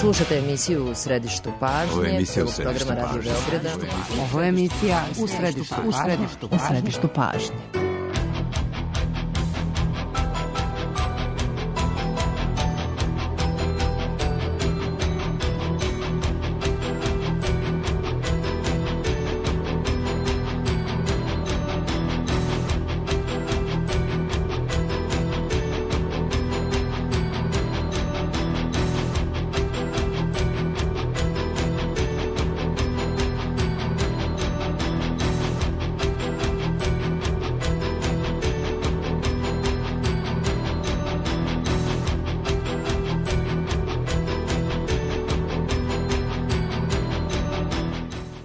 Slušate emisiju U središtu pažnje, programa Radio Beograda. Ovo je emisija U središtu pažnje.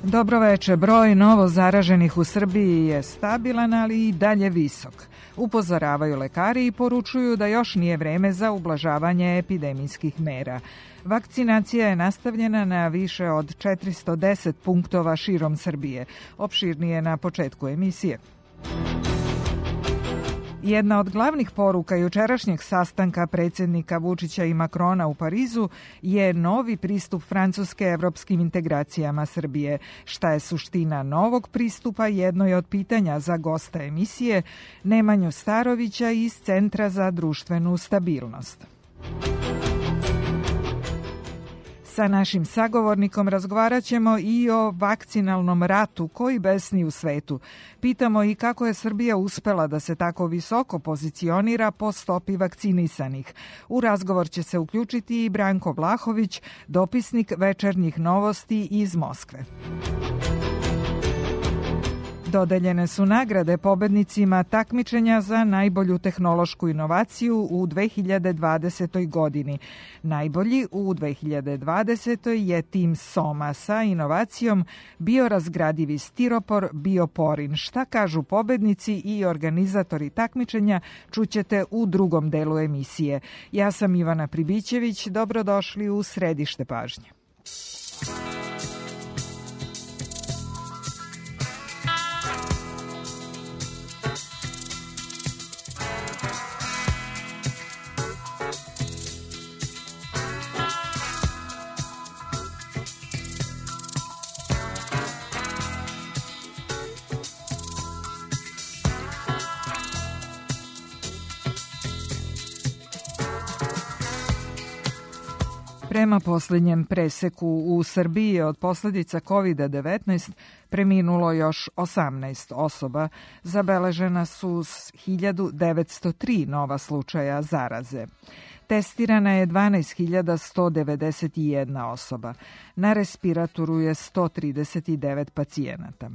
Dobro veče, broj novo zaraženih u Srbiji je stabilan, ali i dalje visok. Upozoravaju lekari i poručuju da još nije vreme za ublažavanje epidemijskih mera. Vakcinacija je nastavljena na više od 410 punktova širom Srbije. Opširnije na početku emisije. Jedna od glavnih poruka jučerašnjeg sastanka predsjednika Vučića i Makrona u Parizu je novi pristup Francuske evropskim integracijama Srbije. Šta je suština novog pristupa, jedno je od pitanja za gosta emisije Nemanju Starovića iz Centra za društvenu stabilnost. Sa našim sagovornikom razgovarat ćemo i o vakcinalnom ratu koji besni u svetu. Pitamo i kako je Srbija uspela da se tako visoko pozicionira po stopi vakcinisanih. U razgovor će se uključiti i Branko Vlahović, dopisnik Večernjih novosti iz Moskve. Dodeljene su nagrade pobednicima takmičenja za najbolju tehnološku inovaciju u 2020. godini. Najbolji u 2020. je tim Soma sa inovacijom biorazgradivi stiropor Bioporin. Šta kažu pobednici i organizatori takmičenja čućete u drugom delu emisije. Ja sam Ivana Pribićević, dobrodošli u središte pažnje. Prema posljednjem preseku u Srbiji od posljedica COVID-19 preminulo još 18 osoba. Zabeležena su 1903 nova slučaja zaraze. Testirana je 12.191 osoba. Na respiratoru je 139 pacijenata.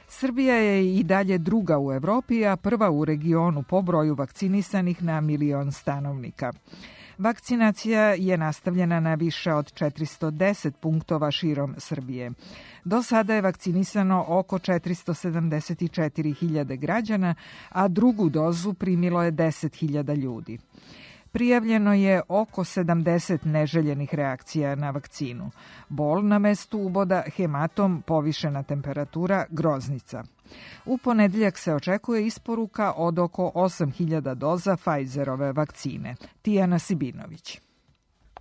Srbija je i dalje druga u Evropi, a prva u regionu po broju vakcinisanih na milion stanovnika. Vakcinacija je nastavljena na više od 410 punktova širom Srbije. Do sada je vakcinisano oko 474.000 građana, a drugu dozu primilo je 10.000 ljudi. Prijavljeno je oko 70 neželjenih reakcija na vakcinu. Bol na mestu uboda, hematom, povišena temperatura, groznica. U ponedeljak se očekuje isporuka od oko 8.000 doza Pfizerove vakcine. Tijana Sibinović.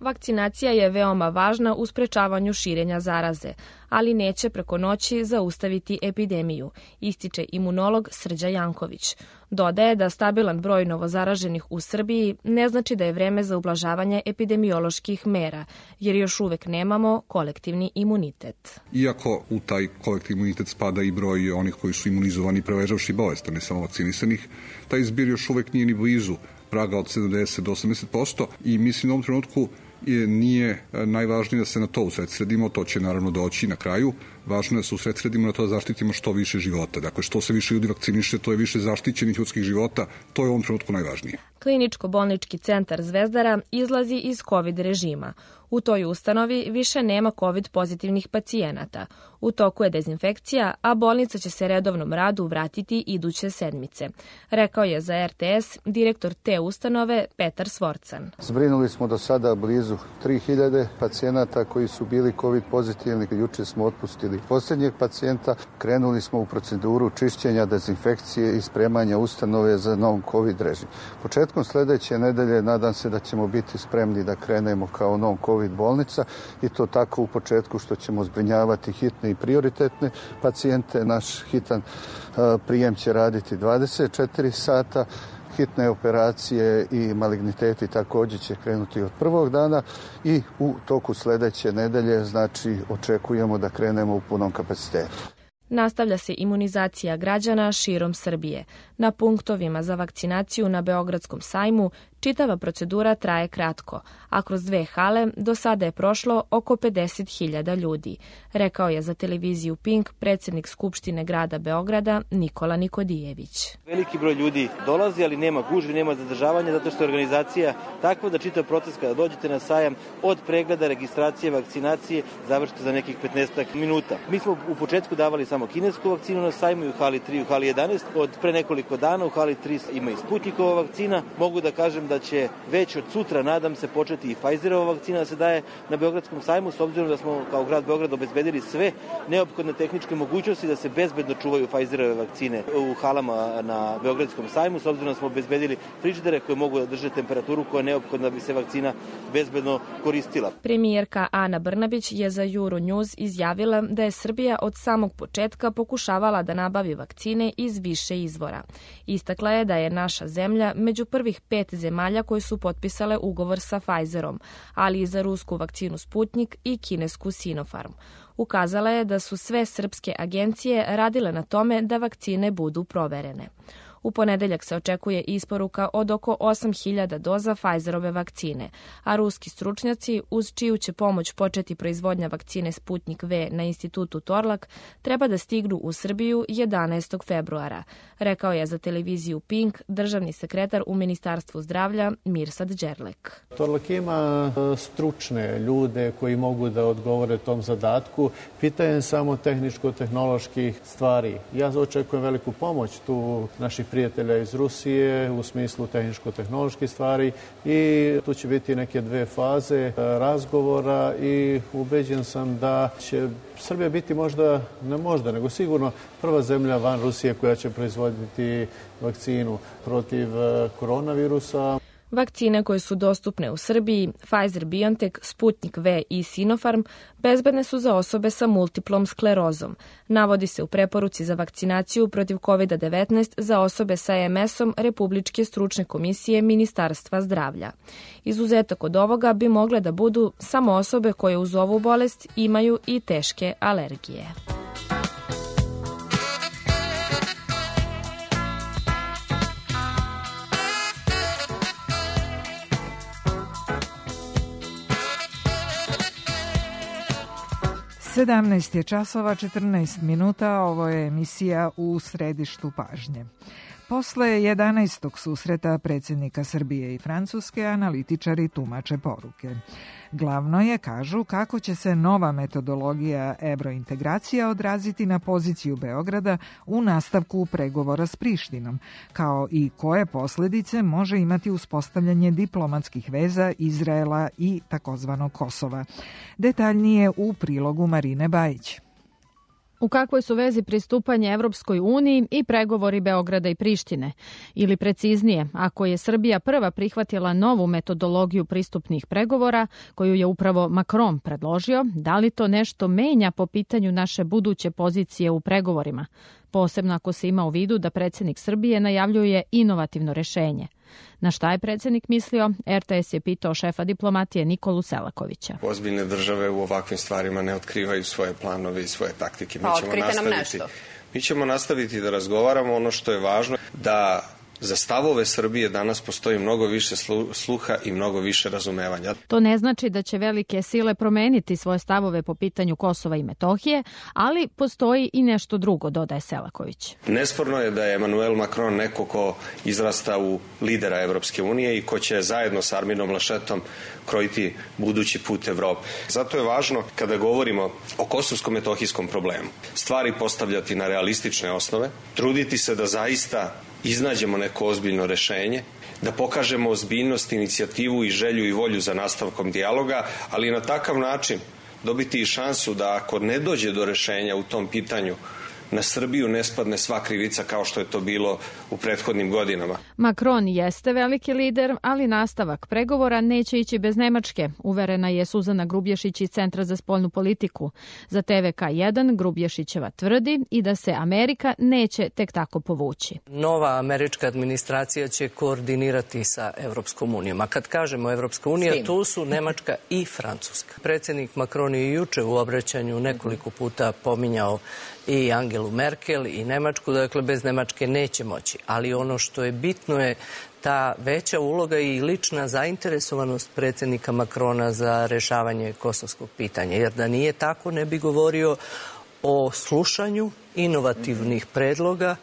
Vakcinacija je veoma važna u sprečavanju širenja zaraze, ali neće preko noći zaustaviti epidemiju, ističe imunolog Srđa Janković. Dodaje da stabilan broj novozaraženih u Srbiji ne znači da je vreme za ublažavanje epidemioloških mera, jer još uvek nemamo kolektivni imunitet. Iako u taj kolektivni imunitet spada i broj onih koji su imunizovani preležavši bolest, a ne samo vakcinisanih, taj zbir još uvek nije ni blizu praga od 70 do 80% i mislim u ovom trenutku nije najvažnije da se na to usredsredimo, to će naravno doći na kraju. Važno je da se usredsredimo na to da zaštitimo što više života. Dakle, što se više ljudi vakciniše, to je više zaštićenih ljudskih života, to je u ovom trenutku najvažnije. Kliničko-bolnički centar Zvezdara izlazi iz COVID režima. U toj ustanovi više nema COVID pozitivnih pacijenata. U toku je dezinfekcija, a bolnica će se redovnom radu vratiti iduće sedmice. Rekao je za RTS direktor te ustanove Petar Svorcan. Zbrinuli smo do sada blizu 3000 pacijenata koji su bili COVID pozitivni. Juče smo otpustili primili posljednjeg pacijenta, krenuli smo u proceduru čišćenja, dezinfekcije i spremanja ustanove za novom COVID režim. Početkom sljedeće nedelje nadam se da ćemo biti spremni da krenemo kao novom COVID bolnica i to tako u početku što ćemo zbrinjavati hitne i prioritetne pacijente. Naš hitan prijem će raditi 24 sata. Hitne operacije i maligniteti također će krenuti od prvog dana i u toku sljedeće nedelje, znači očekujemo da krenemo u punom kapacitetu. Nastavlja se imunizacija građana širom Srbije. Na punktovima za vakcinaciju na Beogradskom sajmu čitava procedura traje kratko, a kroz 2 hale do sada je prošlo oko 50.000 ljudi, rekao je za televiziju Pink predsjednik Skupštine grada Beograda Nikola Nikodijević. Veliki broj ljudi dolazi, ali nema gužvi, nema zadržavanja, zato što je organizacija takva da čitav proces kada dođete na sajam od pregleda, registracije, vakcinacije završite za nekih 15 minuta. Mi smo u početku davali samo kinesku vakcinu na sajmu i u hali 3 i u hali 11. Od pre nekoliko dana u hali 3 ima i Sputnikova vakcina. Mogu da kažem da će već od sutra, nadam se, početi i Pfizerova vakcina da se daje na Beogradskom sajmu, s obzirom da smo kao grad Beograd obezbedili sve neophodne tehničke mogućnosti da se bezbedno čuvaju Pfizerove vakcine u halama na Beogradskom sajmu, s obzirom da smo obezbedili frižidere koje mogu da drže temperaturu koja je neophodna da bi se vakcina bezbedno koristila. Premijerka Ana Brnabić je za Euronews izjavila da je Srbija od samog početka pokušavala da nabavi vakcine iz više izvora. Istakla je da je naša zemlja među prvih 5 zemalja koje su potpisale ugovor sa Pfizerom, ali i za rusku vakcinu Sputnik i kinesku Sinopharm. Ukazala je da su sve srpske agencije radile na tome da vakcine budu proverene. U ponedeljak se očekuje isporuka od oko 8.000 doza Pfizerove vakcine, a ruski stručnjaci, uz čiju će pomoć početi proizvodnja vakcine Sputnik V na institutu Torlak, treba da stignu u Srbiju 11. februara, rekao je za televiziju Pink državni sekretar u Ministarstvu zdravlja Mirsad Đerlek. Torlak ima stručne ljude koji mogu da odgovore tom zadatku. Pitanje samo tehničko-tehnoloških stvari. Ja očekujem veliku pomoć tu naših prijatelja iz Rusije u smislu tehničko-tehnoloških stvari i tu će biti neke 2 faze razgovora i ubeđen sam da će Srbija biti nego sigurno prva zemlja van Rusije koja će proizvoditi vakcinu protiv koronavirusa. Vakcine koje su dostupne u Srbiji, Pfizer-BioNTech, Sputnik V i Sinopharm, bezbedne su za osobe sa multiplom sklerozom. Navodi se u preporuci za vakcinaciju protiv COVID-19 za osobe sa MS-om Republičke stručne komisije Ministarstva zdravlja. Izuzetak od ovoga bi mogle da budu samo osobe koje uz ovu bolest imaju i teške alergije. Sedamnaest je časova 14 minuta, ovo je emisija U središtu pažnje. Posle 11. susreta predsjednika Srbije i Francuske, analitičari tumače poruke. Glavno je, kažu, kako će se nova metodologija evrointegracija odraziti na poziciju Beograda u nastavku pregovora s Prištinom, kao i koje posljedice može imati uspostavljanje diplomatskih veza Izraela i takozvanog Kosova. Detaljnije u prilogu Marine Bajić. U kakvoj su vezi pristupanje Evropskoj uniji i pregovori Beograda i Prištine? Ili preciznije, ako je Srbija prva prihvatila novu metodologiju pristupnih pregovora, koju je upravo Macron predložio, da li to nešto menja po pitanju naše buduće pozicije u pregovorima? Posebno ako se ima u vidu da predsjednik Srbije najavljuje inovativno rešenje. Na šta je predsjednik mislio? RTS je pitao šefa diplomatije Nikolu Selakovića. Ozbiljne države u ovakvim stvarima ne otkrivaju svoje planove i svoje taktike. Mi ćemo nastaviti da razgovaramo. Ono što je važno da za stavove Srbije danas postoji mnogo više sluha i mnogo više razumevanja. To ne znači da će velike sile promeniti svoje stavove po pitanju Kosova i Metohije, ali postoji i nešto drugo, dodaje Selaković. Nesporno je da je Emmanuel Macron neko ko izrasta u lidera Evropske unije i ko će zajedno sa Arminom Laschetom krojiti budući put Evrope. Zato je važno, kada govorimo o kosovsko-metohijskom problemu, stvari postavljati na realistične osnove, truditi se da zaista iznađemo neko ozbiljno rešenje, da pokažemo ozbiljnost, inicijativu i želju i volju za nastavkom dijaloga, ali na takav način dobiti i šansu da ako ne dođe do rešenja u tom pitanju, na Srbiju ne spadne sva krivica kao što je to bilo u prethodnim godinama. Macron jeste veliki lider, ali nastavak pregovora neće ići bez Nemačke, uverena je Suzana Grubješić iz Centra za spoljnu politiku. Za TVK1 Grubješićeva tvrdi i da se Amerika neće tek tako povući. Nova američka administracija će koordinirati sa Evropskom unijom. A kad kažemo Evropska unija, tu su Nemačka i Francuska. Predsjednik Macron je juče u obraćanju nekoliko puta pominjao i Angelu Merkel i Nemačku, dakle bez Nemačke neće moći. Ali ono što je bitno je ta veća uloga i lična zainteresovanost predsjednika Macrona za rešavanje kosovskog pitanja. Jer da nije tako ne bi govorio o slušanju inovativnih predloga,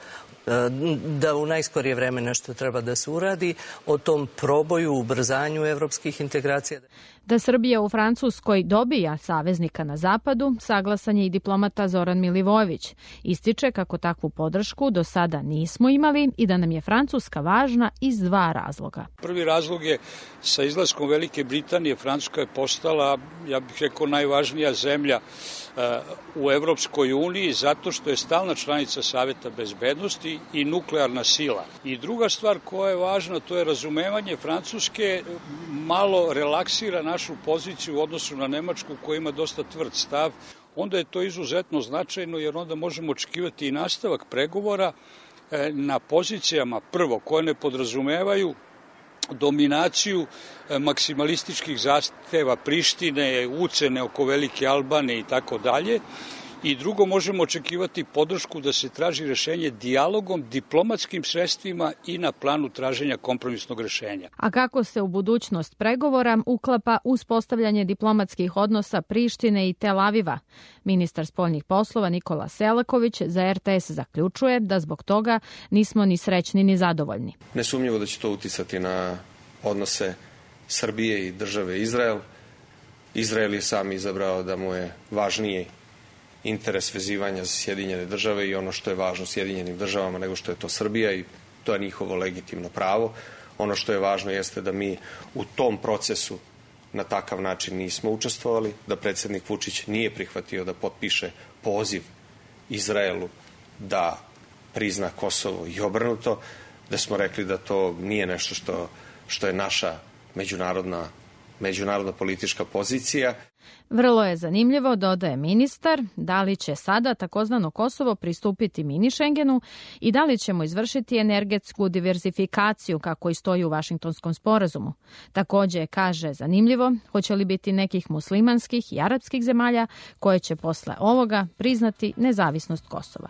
da u najskorije vreme nešto treba da se uradi, o tom proboju, ubrzanju evropskih integracija. Da Srbija u Francuskoj dobija saveznika na zapadu, saglasan je i diplomata Zoran Milivojević. Ističe kako takvu podršku do sada nismo imali i da nam je Francuska važna iz dva razloga. Prvi razlog je sa izlaskom Velike Britanije Francuska je postala, ja bih rekao, najvažnija zemlja u Evropskoj uniji zato što je stalna članica Saveta bezbednosti i nuklearna sila. I druga stvar koja je važna, to je razumevanje Francuske malo relaksira našu poziciju u odnosu na Nemačku koja ima dosta tvrd stav. Onda je to izuzetno značajno jer onda možemo očekivati i nastavak pregovora na pozicijama prvo koje ne podrazumevaju dominaciju maksimalističkih zahteva Prištine, ucene oko Velike Albanije i tako dalje. I drugo, možemo očekivati podršku da se traži rešenje dijalogom, diplomatskim sredstvima i na planu traženja kompromisnog rešenja. A kako se u budućnost pregovora uklapa uspostavljanje diplomatskih odnosa Prištine i Tel Aviva? Ministar spoljnih poslova Nikola Selaković za RTS zaključuje da zbog toga nismo ni srećni ni zadovoljni. Nesumnjivo da će to uticati na odnose Srbije i države Izrael. Izrael je sam izabrao da mu je važnije interes vezivanja za Sjedinjene države i ono što je važno Sjedinjenim državama nego što je to Srbija i to je njihovo legitimno pravo. Ono što je važno jeste da mi u tom procesu na takav način nismo učestvovali, da predsjednik Vučić nije prihvatio da potpiše poziv Izraelu da prizna Kosovo i obrnuto, da smo rekli da to nije nešto što je naša međunarodna politička pozicija. Vrlo je zanimljivo, dodaje ministar, da li će sada takozvano Kosovo pristupiti mini Schengenu i da li ćemo izvršiti energetsku diverzifikaciju kako i stoji u Vašingtonskom sporazumu. Također kaže zanimljivo, hoće li biti nekih muslimanskih i arapskih zemalja koje će posle ovoga priznati nezavisnost Kosova.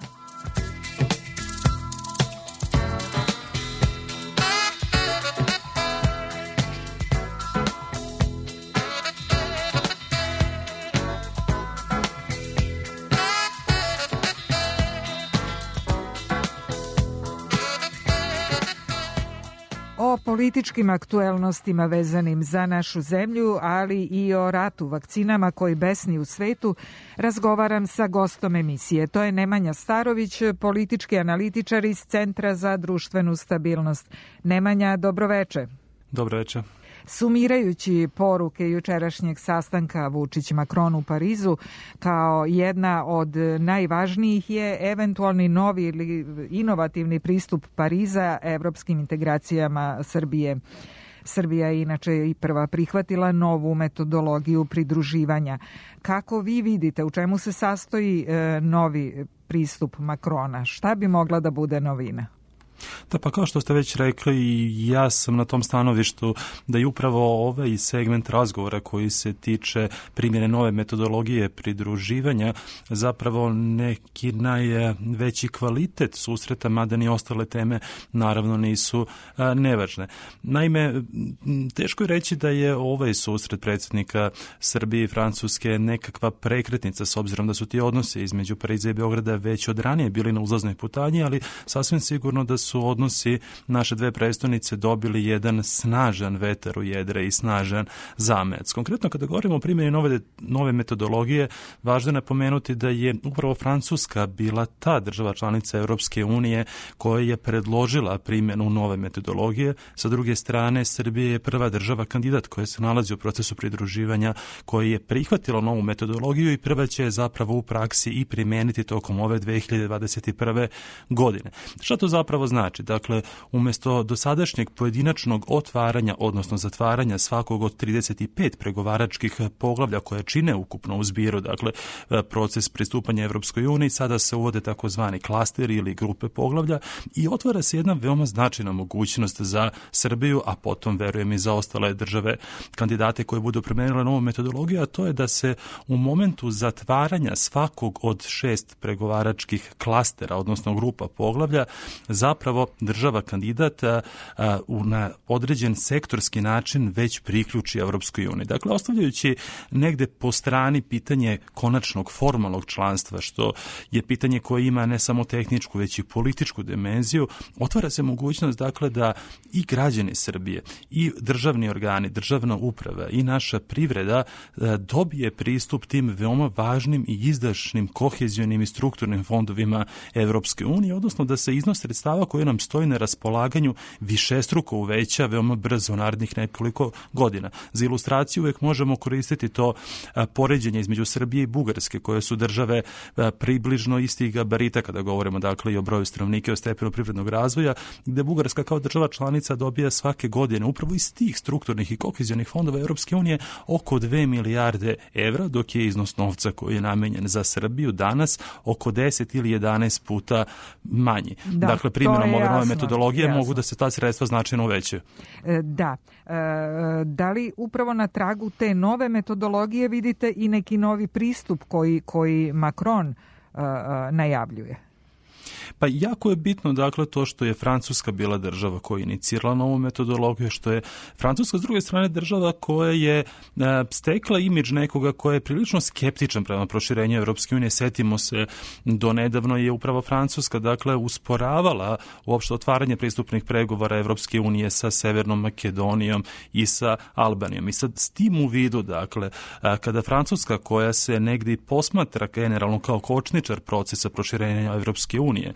O političkim aktuelnostima vezanim za našu zemlju, ali i o ratu vakcinama koji besni u svetu, razgovaram sa gostom emisije. To je Nemanja Starović, politički analitičar iz Centra za društvenu stabilnost. Nemanja, dobroveče. Dobroveče. Sumirajući poruke jučerašnjeg sastanka Vučić-Macron u Parizu, kao jedna od najvažnijih je eventualni novi ili inovativni pristup Pariza evropskim integracijama Srbije. Srbija je inače i prva prihvatila novu metodologiju pridruživanja. Kako vi vidite, u čemu se sastoji novi pristup Macrona? Šta bi mogla da bude novina? Da, pa kao što ste već rekli, i ja sam na tom stanovištu da je upravo ovaj segment razgovora koji se tiče primjene nove metodologije pridruživanja zapravo neki najveći kvalitet susreta, mada ni ostale teme naravno nisu nevažne. Naime, teško je reći da je ovaj susret predsjednika Srbije i Francuske nekakva prekretnica, s obzirom da su ti odnosi između Pariza i Beograda već od ranije bili na uzlaznoj putanji, ali sasvim sigurno da su odnosi naše dve prestonice dobili jedan snažan vetar u jedre i snažan zamajac. Konkretno kada govorimo o primjeni nove metodologije, važno je napomenuti da je upravo Francuska bila ta država članica Europske unije koja je predložila primjenu nove metodologije. Sa druge strane, Srbija je prva država kandidat koja se nalazi u procesu pridruživanja, koja je prihvatila novu metodologiju i prva će je zapravo u praksi i primijeniti tokom ove 2021. godine. Šta to zapravo znači? Dakle, umjesto dosadašnjeg pojedinačnog otvaranja, odnosno zatvaranja svakog od 35 pregovaračkih poglavlja koje čine ukupno u zbiru, dakle, proces pristupanja Evropskoj uniji, sada se uvode takozvani klasteri ili grupe poglavlja i otvara se jedna veoma značajna mogućnost za Srbiju, a potom, verujem, i za ostale države kandidate koje budu primijenile novu metodologiju, a to je da se u momentu zatvaranja svakog od 6 pregovaračkih klastera, odnosno grupa poglavlja, zapravo država kandidata na određen sektorski način već priključi Evropskoj uniji. Dakle, ostavljajući negde po strani pitanje konačnog formalnog članstva, što je pitanje koje ima ne samo tehničku, već i političku dimenziju, otvara se mogućnost, dakle, da i građani Srbije, i državni organi, državna uprava i naša privreda dobije pristup tim veoma važnim i izdašnim kohezionim i strukturnim fondovima Evropske unije, odnosno da se iznos sredstava koji nam stoji na raspolaganju višestruko uveća veoma brzo u narednih nekoliko godina. Za ilustraciju uvijek možemo koristiti to poređenje između Srbije i Bugarske, koje su države približno istih gabarita kada govorimo, dakle, i o broju stanovnika i o stepenu privrednog razvoja, gde Bugarska kao država članica dobija svake godine upravo iz tih strukturnih i kohezionih fondova Evropske unije oko 2 milijarde evra, dok je iznos novca koji je namenjen za Srbiju danas oko 10 ili 11 puta manji. Dakle, primjenom ove nove metodologije mogu da se ta sredstva značajno uvećaju. Da. Da li upravo na tragu te nove metodologije vidite i neki novi pristup koji Macron najavljuje? Pa jako je bitno, dakle, to što je Francuska bila država koja je inicirala novu metodologiju, što je Francuska s druge strane država koja je stekla imidž nekoga koja je prilično skeptičan prema proširenju Evropske unije. Setimo se, do nedavno je upravo Francuska, dakle, usporavala uopšte otvaranje pristupnih pregovora Evropske unije sa Severnom Makedonijom i sa Albanijom. I sad s tim u vidu, dakle, kada Francuska, koja se negdje posmatra generalno kao kočničar procesa proširenja Evropske unije,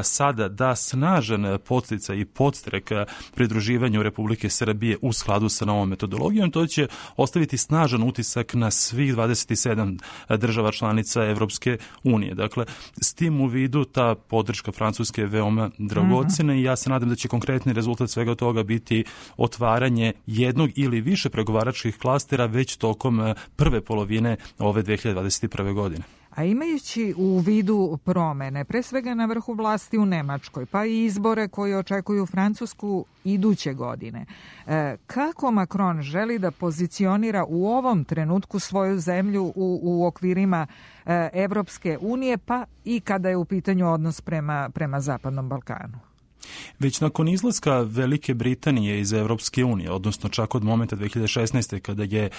sada da snažan podsticaj i podstrek pridruživanju Republike Srbije u skladu sa novom metodologijom, to će ostaviti snažan utisak na svih 27 država članica Evropske unije. Dakle, s tim u vidu ta podrška Francuske je veoma dragocena i ja se nadam da će konkretni rezultat svega toga biti otvaranje jednog ili više pregovaračkih klastera već tokom prve polovine ove 2021. godine. A imajući u vidu promene, pre svega na vrhu vlasti u Nemačkoj, pa i izbore koji očekuju Francusku iduće godine, kako Macron želi da pozicionira u ovom trenutku svoju zemlju u okvirima Evropske unije, pa i kada je u pitanju odnos prema Zapadnom Balkanu? Već nakon izlaska Velike Britanije iz Evropske unije, odnosno čak od momenta 2016. kada je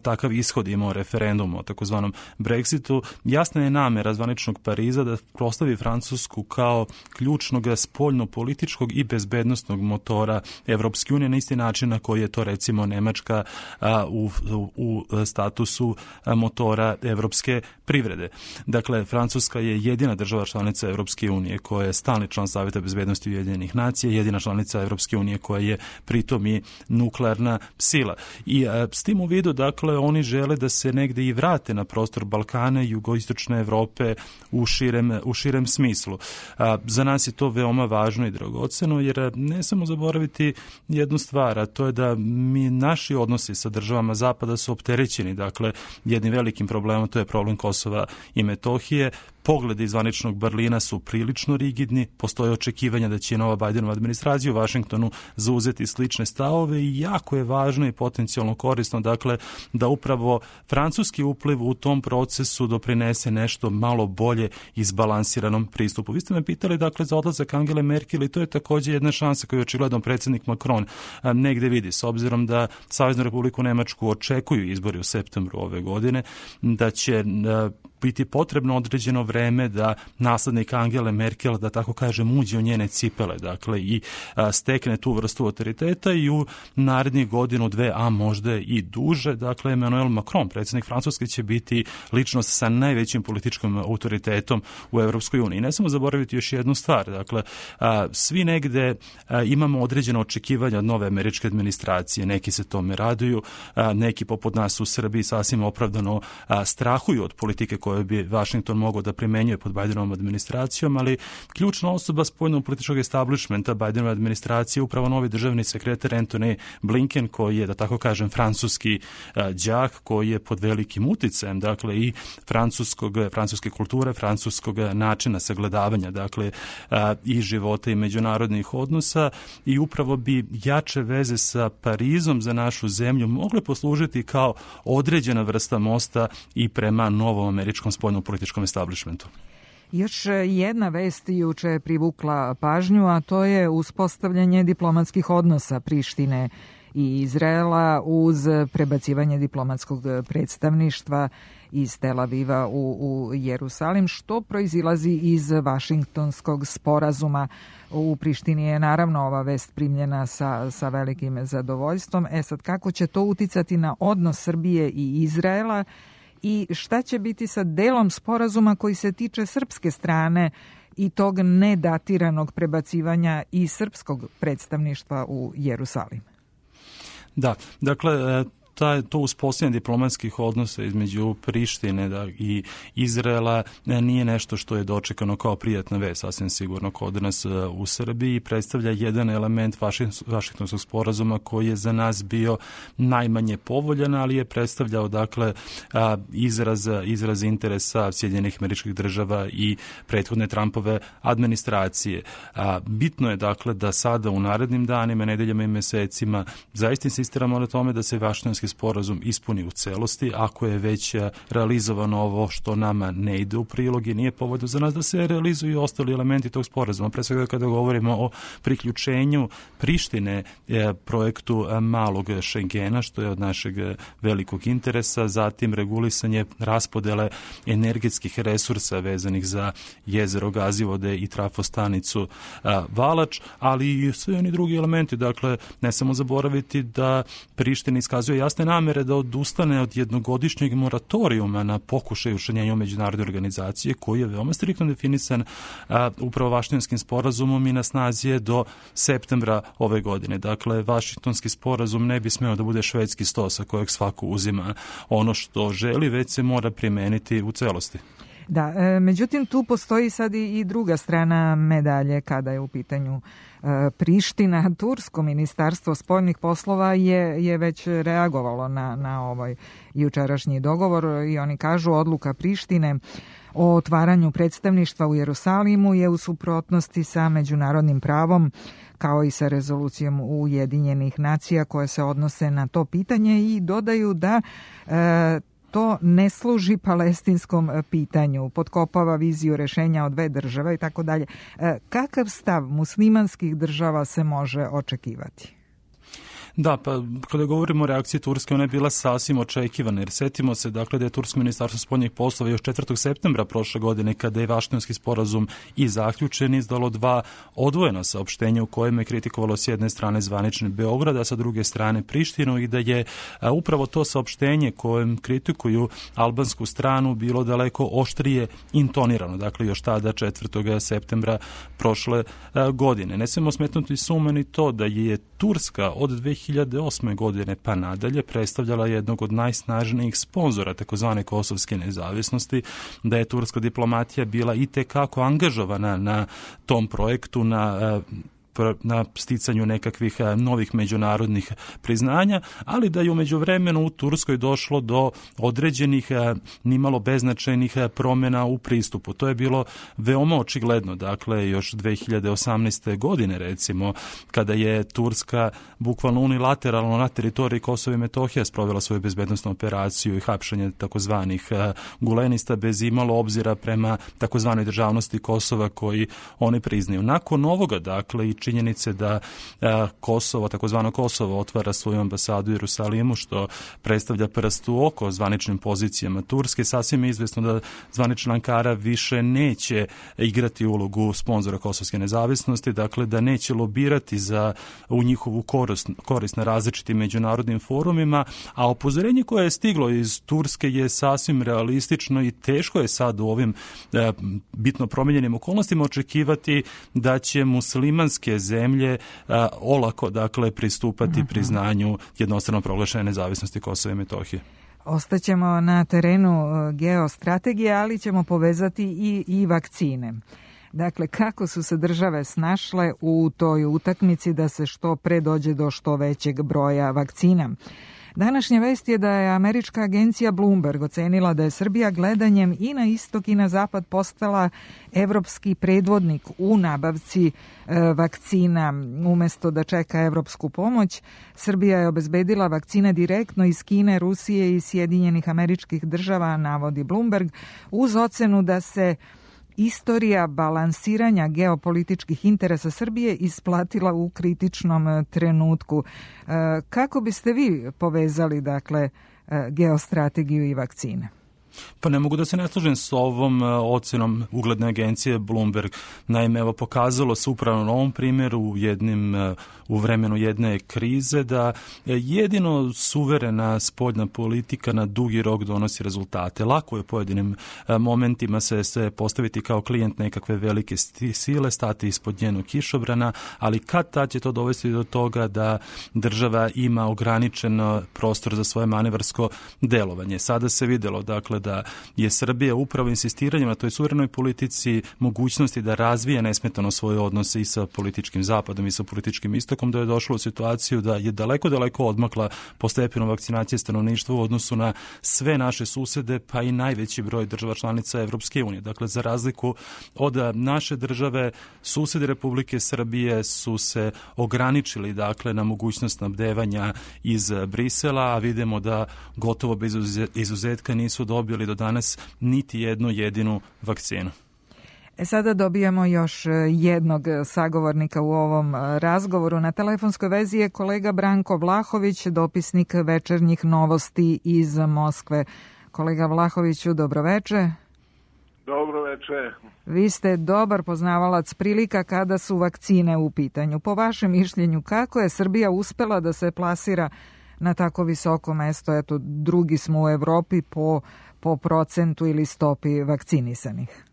takav ishod imao referendum o takozvanom Brexitu, jasna je namera zvaničnog Pariza da postavi Francusku kao ključnog spoljno-političkog i bezbednostnog motora Evropske unije na isti način na koji je to, recimo, Nemačka u statusu motora evropske privrede. Dakle, Francuska je jedina država članica Evropske unije koja je stalni član Savjeta bezbednosti Ujedinjenih nacija, jedina članica Evropske unije koja je pritom i nuklearna sila. I s tim u vidu, dakle, oni žele da se negde i vrate na prostor Balkana i jugoistočne Evrope u širem smislu. Za nas je to veoma važno i dragoceno, jer ne samo zaboraviti jednu stvar, a to je da naši odnosi sa državama Zapada su opterećeni, dakle, jednim velikim problemom, to je problem Kosova i Metohije. Pogledi iz zvaničnog Berlina su prilično rigidni, postoje očekivanja da će nova Bajdenova administracija u Vašingtonu zauzeti slične stavove i jako je važno i potencijalno korisno, dakle, da upravo francuski upliv u tom procesu doprinese nešto malo bolje izbalansiranom pristupu. Vi ste me pitali, dakle, za odlazak Angele Merkel i to je također jedna šansa koju očigledno predsjednik Macron negde vidi, s obzirom da Saveznu Republiku Nemačku očekuju izbori u septembru ove godine, da će biti potrebno određeno vreme vreme da naslednik Angele Merkel, da tako kažem, uđe u njene cipele, dakle, i stekne tu vrstu autoriteta i u narednih godinu, dve, a možda i duže, dakle, Emmanuel Macron, predsjednik Francuske, će biti ličnost sa najvećim političkim autoritetom u Evropskoj uniji. Ne samo zaboraviti još jednu stvar, dakle, svi negde imamo određeno očekivanja od nove američke administracije, neki se tome raduju, neki poput nas u Srbiji sasvim opravdano strahuju od politike koje bi Washington mogao da primenjuje pod Bidenovom administracijom, ali ključna osoba spoljnog političkog establishmenta Bidenove administracije upravo novi državni sekretar Antony Blinken, koji je, da tako kažem, francuski đak, koji je pod velikim uticajem, dakle, i francuske kulture, francuskog načina sagledavanja, dakle, i života i međunarodnih odnosa, i upravo bi jače veze sa Parizom za našu zemlju mogle poslužiti kao određena vrsta mosta i prema novom američkom spoljnom političkom establishmentu. Još jedna vest juče je privukla pažnju, a to je uspostavljanje diplomatskih odnosa Prištine i Izraela uz prebacivanje diplomatskog predstavništva iz Tel Aviva u Jerusalim, što proizilazi iz Vašingtonskog sporazuma. U Prištini je naravno ova vest primljena sa velikim zadovoljstvom. Sad, kako će to uticati na odnos Srbije i Izraela i šta će biti sa delom sporazuma koji se tiče srpske strane i tog nedatiranog prebacivanja i srpskog predstavništva u Jerusalim? Da, dakle, to uspostavljanje diplomatskih odnosa između Prištine i Izraela nije nešto što je dočekano kao prijatna vest, sasvim sigurno kod nas u Srbiji, predstavlja jedan element Vašingtonskog sporazuma koji je za nas bio najmanje povoljan, ali je predstavljao, dakle, izraz interesa Sjedinjenih Američkih Država i prethodne Trumpove administracije. Bitno je, dakle, da sada u narednim danima, nedeljama i mesecima zaista insistiramo na tome da se Vašingtonski sporazum ispuni u celosti, ako je već realizovano ovo što nama ne ide u prilog i nije povoljno za nas, da se realizuju ostali elementi tog sporazuma. Pre svega kada govorimo o priključenju Prištine projektu malog Šengena, što je od našeg velikog interesa, zatim regulisanje raspodele energetskih resursa vezanih za jezero Gazivode i trafostanicu Valač, ali i sve oni drugi elementi. Dakle, ne samo zaboraviti da Priština iskazuje jasne namere da odustane od jednogodišnjeg moratorijuma na pokušaj učlanjenja u međunarodne organizacije, koji je veoma striktno definisan upravo Vašingtonskim sporazumom i na snazi je do septembra ove godine. Dakle, Vašingtonski sporazum ne bi smeo da bude švedski sto sa kojeg svako uzima ono što želi, već se mora primeniti u celosti. Da, međutim tu postoji sad i druga strana medalje kada je u pitanju Priština. Tursko ministarstvo spoljnih poslova je već reagovalo na ovaj jučerašnji dogovor i oni kažu odluka Prištine o otvaranju predstavništva u Jerusalimu je u suprotnosti sa međunarodnim pravom kao i sa rezolucijom Ujedinjenih nacija koje se odnose na to pitanje i dodaju da to ne služi palestinskom pitanju, potkopava viziju rešenja od dve države i tako dalje. Kakav stav muslimanskih država se može očekivati? Da, pa kada govorimo o reakciji Turske, ona je bila sasvim očekivana, jer setimo se, dakle, da je Tursko ministarstvo spoljnih poslova još 4. septembra prošle godine, kada je Vašingtonski sporazum i zaključen, izdalo 2 odvojena saopštenja u kojima je kritikovalo s jedne strane zvanični Beograd, a sa druge strane Prištinu, i da je upravo to saopštenje kojem kritikuju albansku stranu bilo daleko oštrije intonirano, dakle, još tada 4. septembra prošle godine. Ne smemo smetnuti suma ni to da je Turska od 2008. godine pa nadalje predstavljala jednog od najsnažnijih sponzora takozvane kosovske nezavisnosti, da je turska diplomatija bila i tekako angažovana na tom projektu, na sticanju nekakvih novih međunarodnih priznanja, ali da je u međuvremenu u Turskoj došlo do određenih nimalo beznačajnih promjena u pristupu. To je bilo veoma očigledno, dakle, još 2018. godine, recimo, kada je Turska bukvalno unilateralno na teritoriji Kosova i Metohije sprovela svoju bezbednosnu operaciju i hapšanje takozvanih gulenista bez imalo obzira prema takozvanoj državnosti Kosova koji oni priznaju. Nakon ovoga, dakle, i činjenice da Kosovo, takozvano Kosovo, otvara svoju ambasadu u Jerusalimu, što predstavlja prst u oko zvaničnim pozicijama Turske. Sasvim je izvesno da zvanična Ankara više neće igrati ulogu sponzora kosovske nezavisnosti, dakle da neće lobirati u njihovu korist na različitim međunarodnim forumima, a upozorenje koje je stiglo iz Turske je sasvim realistično i teško je sad u ovim bitno promijenjenim okolnostima očekivati da će muslimanske zemlje olako pristupati priznanju jednostrano proglašene nezavisnosti Kosova i Metohije. Ostaćemo na terenu geostrategije, ali ćemo povezati i vakcine. Dakle, kako su se države snašle u toj utakmici da se što pre dođe do što većeg broja vakcina? Današnja vest je da je američka agencija Bloomberg ocenila da je Srbija gledanjem i na istok i na zapad postala evropski predvodnik u nabavci vakcina. Umesto da čeka evropsku pomoć, Srbija je obezbedila vakcine direktno iz Kine, Rusije i Sjedinjenih Američkih Država, navodi Bloomberg, uz ocenu da se istorija balansiranja geopolitičkih interesa Srbije isplatila u kritičnom trenutku. Kako biste vi povezali, geostrategiju i vakcine? Pa ne mogu da se ne slažem s ovom ocenom ugledne agencije Bloomberg. Naime, pokazalo se upravo na ovom primjeru u vremenu jedne krize da jedino suverena spoljna politika na dugi rok donosi rezultate. Lako je u pojedinim momentima se postaviti kao klijent nekakve velike sile, stati ispod njenog kišobrana, ali kad tad će to dovesti do toga da država ima ograničen prostor za svoje manevarsko delovanje. Sada se vidjelo, da je Srbija upravo insistiranjem na toj suverenoj politici mogućnosti da razvije nesmetano svoje odnose i sa političkim zapadom i sa političkim istokom, da je došlo u situaciju da je daleko odmakla po stepenu vakcinacije stanovništva u odnosu na sve naše susede, pa i najveći broj država članica Evropske unije. Dakle, za razliku od naše države, susedi Republike Srbije su se ograničili na mogućnost snabdevanja iz Brisela, a vidimo da gotovo bez izuzetka nisu dobili do danas niti jednu jedinu vakcinu. Sada dobijamo još jednog sagovornika u ovom razgovoru. Na telefonskoj vezi je kolega Branko Vlahović, dopisnik Večernjih novosti iz Moskve. Kolega Vlahoviću, dobroveče. Dobroveče. Vi ste dobar poznavalac prilika kada su vakcine u pitanju. Po vašem mišljenju, kako je Srbija uspela da se plasira na tako visoko mesto? Eto, drugi smo u Evropi po procentu ili stopi vakcinisanih.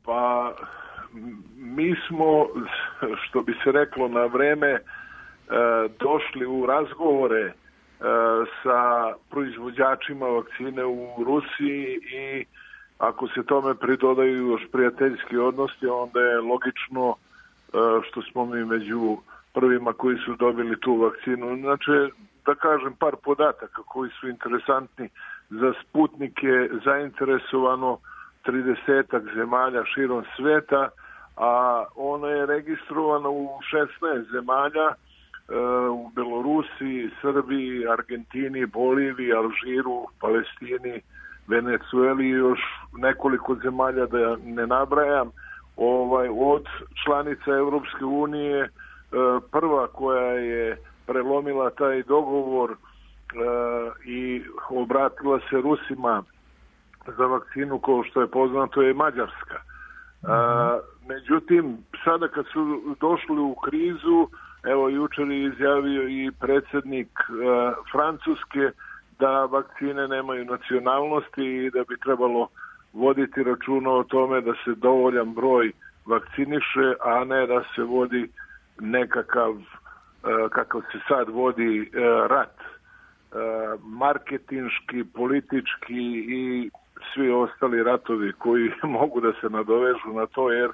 Pa, mi smo, što bi se reklo, na vreme došli u razgovore sa proizvođačima vakcine u Rusiji i ako se tome pridodaju još prijateljski odnosi, onda je logično što smo mi među prvima koji su dobili tu vakcinu. Znači, da kažem par podataka koji su interesantni. Za Sputnik je zainteresovano 30 zemalja širom sveta, a ona je registrovana u 16 zemalja, u Belorusiji, Srbiji, Argentini, Boliviji, Alžiru, Palestini, Venecueli i još nekoliko zemalja da ne nabrajam. Od članica Evropske unije prva koja je prelomila taj dogovor i obratila se Rusima za vakcinu, kao što je poznato, je Mađarska. Međutim, sada kad su došli u krizu, evo jučer je izjavio i predsjednik Francuske da vakcine nemaju nacionalnosti i da bi trebalo voditi računa o tome da se dovoljan broj vakciniše, a ne da se vodi nekakav, kakav se sad vodi, rat. Marketinški, politički i svi ostali ratovi koji mogu da se nadovežu na to, jer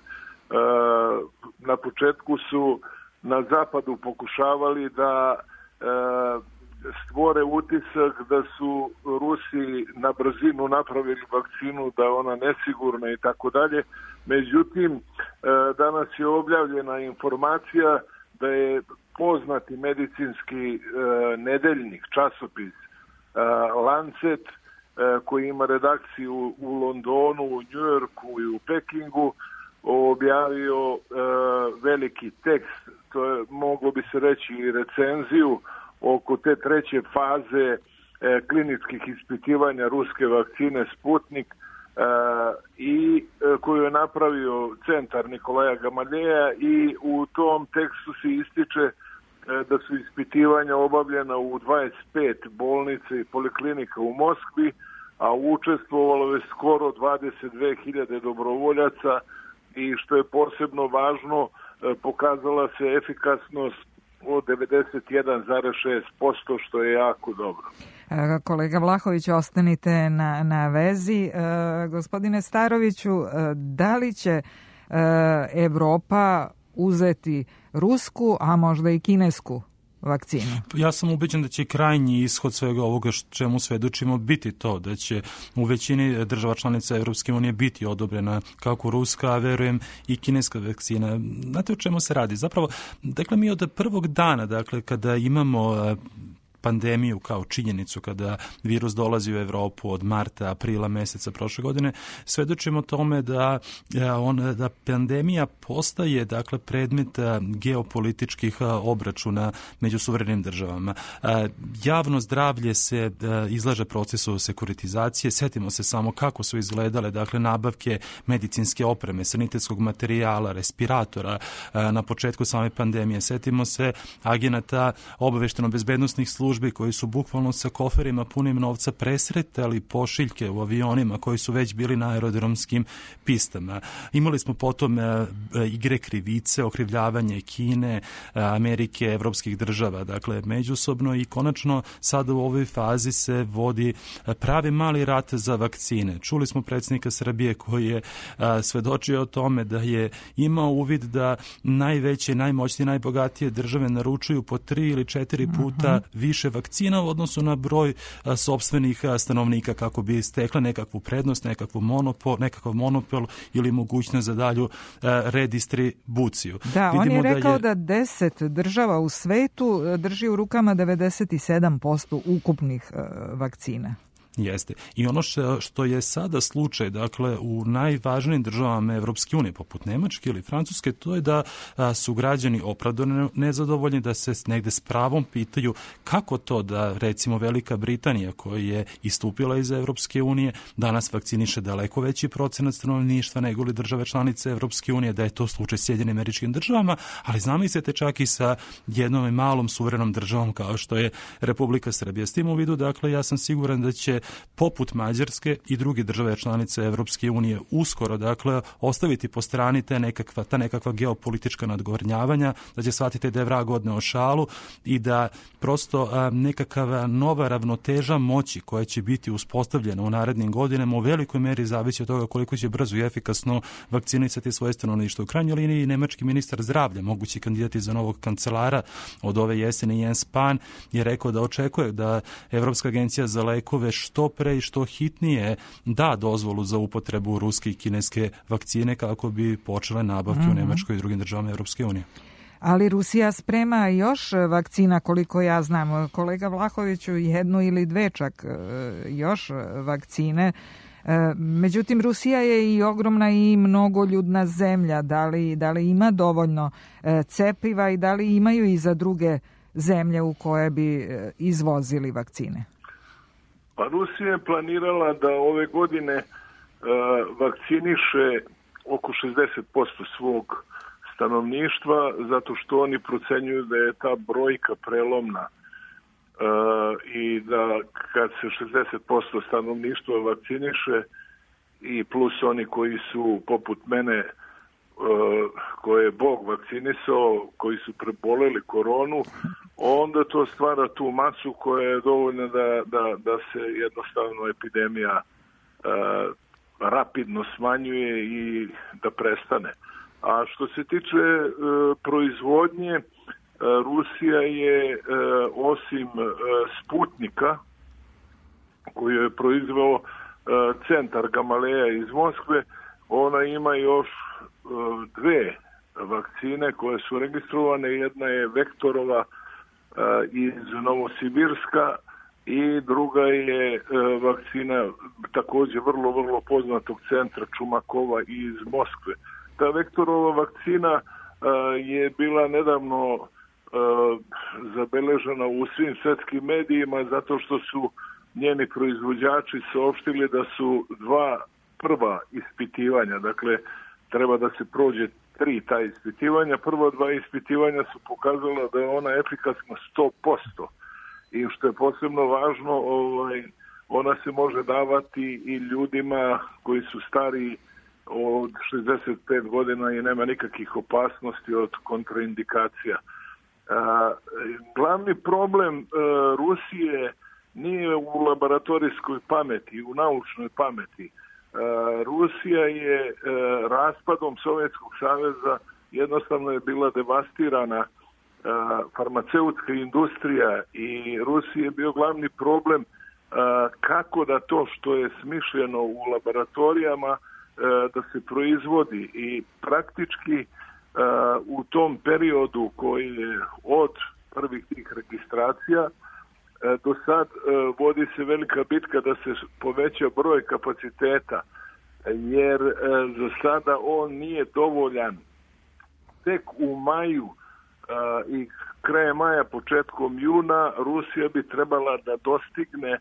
na početku su na zapadu pokušavali da stvore utisak da su Rusi na brzinu napravili vakcinu, da je ona nesigurna i tako dalje. Međutim, danas je objavljena informacija da je poznati medicinski nedeljnik, časopis Lancet, koji ima redakciju u Londonu, u Njujorku i u Pekingu, objavio veliki tekst, to je, moglo bi se reći, i recenziju oko te treće faze kliničkih ispitivanja ruske vakcine Sputnik i koju je napravio centar Nikolaja Gamaljeja, i u tom tekstu se ističe da su ispitivanja obavljena u 25 bolnica i poliklinika u Moskvi, a učestvovalo je skoro 22.000 dobrovoljaca i što je posebno važno, pokazala se efikasnost od 91,6%, što je jako dobro. Kolega Vlahović, ostanite na vezi. Gospodine Staroviću, da li će Evropa uzeti rusku, a možda i kinesku vakcinu? Ja sam ubeđen da će krajnji ishod svega ovoga čemu svedočimo biti to, da će u većini država članica Evropske unije biti odobrena kako ruska, a verujem i kineska vakcina. Znate o čemu se radi? Zapravo, dakle, mi od prvog dana, dakle, kada imamo pandemiju kao činjenicu, kada virus dolazi u Evropu od marta, aprila meseca prošle godine, svedočimo tome da pandemija postaje, dakle, predmet geopolitičkih obračuna među suverenim državama. Javno zdravlje se izlaže procesu sekuritizacije. Setimo se samo kako su izgledale, dakle, nabavke medicinske opreme, sanitetskog materijala, respiratora na početku same pandemije. Setimo se agenata obavešteno-bezbednosnih službi koji su bukvalno sa koferima punim novca presretali pošiljke u avionima koji su već bili na aerodromskim pistama. Imali smo potom igre krivice, okrivljavanje Kine, Amerike, evropskih država, dakle, međusobno, i konačno sada u ovoj fazi se vodi pravi mali rat za vakcine. Čuli smo predsjednika Srbije koji je svedočio o tome da je imao uvid da najveće, najmoćnije, najbogatije države naručuju po 3 ili 4 puta više vakcina u odnosu na broj sopstvenih stanovnika kako bi stekla nekakvu prednost, nekakav monopol ili mogućnost za dalju redistribuciju. Da, on je rekao da 10 država u svetu drži u rukama 97% ukupnih vakcina. Jeste. I ono što je sada slučaj, dakle, u najvažnijim državama Evropske unije, poput Nemačke ili Francuske, to je da su građani opravdano nezadovoljni, da se negde s pravom pitaju kako to da, recimo, Velika Britanija, koja je istupila iz Evropske unije, danas vakciniše daleko veći procenat stanovništva nego li države članice Evropske unije, da je to slučaj Sjedinjenim Američkim Državama, ali zamislite čak i sa jednom malom suverenom državom kao što je Republika Srbija. S tim u vidu, dakle, ja sam siguran da će poput Mađarske i druge države članice Evropske unije uskoro, dakle, ostaviti po strani ta nekakva geopolitička nadgornjavanja, da će shvatiti da je vrag odneo šalu i da prosto nekakva nova ravnoteža moći koja će biti uspostavljena u narednim godinama u velikoj meri zavisi od toga koliko će brzo i efikasno vakcinisati svoje stanovništvo. U krajnjoj liniji nemački ministar zdravlja, mogući kandidati za novog kancelara od ove jeseni, Jens Spahn, je rekao da očekuje da Evropska agencija za lekove što pre i što hitnije da dozvolu za upotrebu ruske i kineske vakcine kako bi počele nabavke u Nemačkoj i drugim državama Evropske unije. Ali Rusija sprema još vakcina, koliko ja znam. Kolega Vlahoviću, 1 ili 2 čak još vakcine. Međutim, Rusija je i ogromna i mnogoljudna zemlja. Da li ima dovoljno cepiva i da li imaju i za druge zemlje u koje bi izvozili vakcine? Pa Rusija je planirala da ove godine vakciniše oko 60% svog stanovništva, zato što oni procenjuju da je ta brojka prelomna i da kad se 60% stanovništva vakciniše i plus oni koji su poput mene, koje je Bog vakcinisao, koji su preboleli koronu, onda to stvara tu masu koja je dovoljna da se jednostavno epidemija rapidno smanjuje i da prestane. A što se tiče proizvodnje, Rusija je osim Sputnika, koju je proizveo centar Gamaleja iz Moskve, ona ima još 2 vakcine koje su registrovane. Jedna je Vektorova iz Novosibirska i druga je vakcina također vrlo poznatog centra Čumakova iz Moskve. Ta vektorova vakcina je bila nedavno zabeležena u svim svetskim medijima zato što su njeni proizvođači saopštili da su 2 prva ispitivanja, dakle treba da se prođe 3 ta ispitivanja. Prva 2 ispitivanja su pokazala da je ona efikasna 100%. I što je posebno važno, ona se može davati i ljudima koji su stariji od 65 godina i nema nikakvih opasnosti od kontraindikacija. Glavni problem Rusije nije u laboratorijskoj pameti, u naučnoj pameti. Rusija je raspadom Sovjetskog saveza jednostavno je bila devastirana farmaceutska industrija i Rusiji je bio glavni problem kako da to što je smišljeno u laboratorijama da se proizvodi i praktički u tom periodu koji je od prvih tih registracija do sad vodi se velika bitka da se poveća broj kapaciteta, jer za sada on nije dovoljan. Tek u maju i krajem maja, početkom juna, Rusija bi trebala da dostigne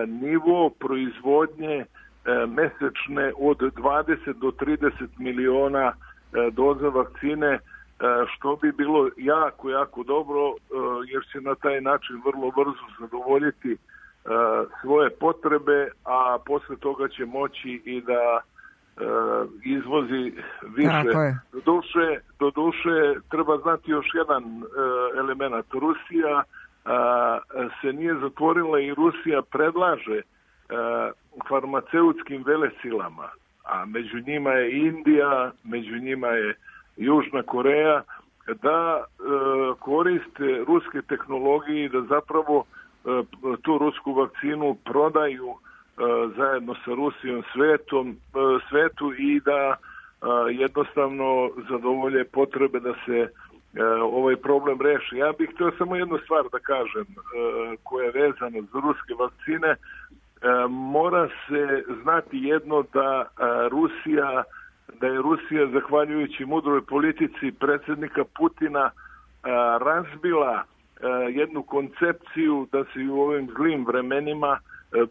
nivo proizvodnje mesečne od 20 do 30 miliona doza vakcine, što bi bilo jako dobro, jer će na taj način vrlo brzo zadovoljiti svoje potrebe, a posle toga će moći i da izvozi više. Do duše treba znati još jedan element. Rusija se nije zatvorila i Rusija predlaže farmaceutskim velesilama, a među njima je Indija, među njima je Južna Koreja, da koriste ruske tehnologije i da zapravo tu rusku vakcinu prodaju zajedno sa Rusijom svetu i da jednostavno zadovolje potrebe da se ovaj problem reši. Ja bih htio samo jednu stvar da kažem koja je vezana za ruske vakcine. Mora se znati jedno da je Rusija, zahvaljujući mudroj politici predsjednika Putina, razbila jednu koncepciju da se u ovim zlim vremenima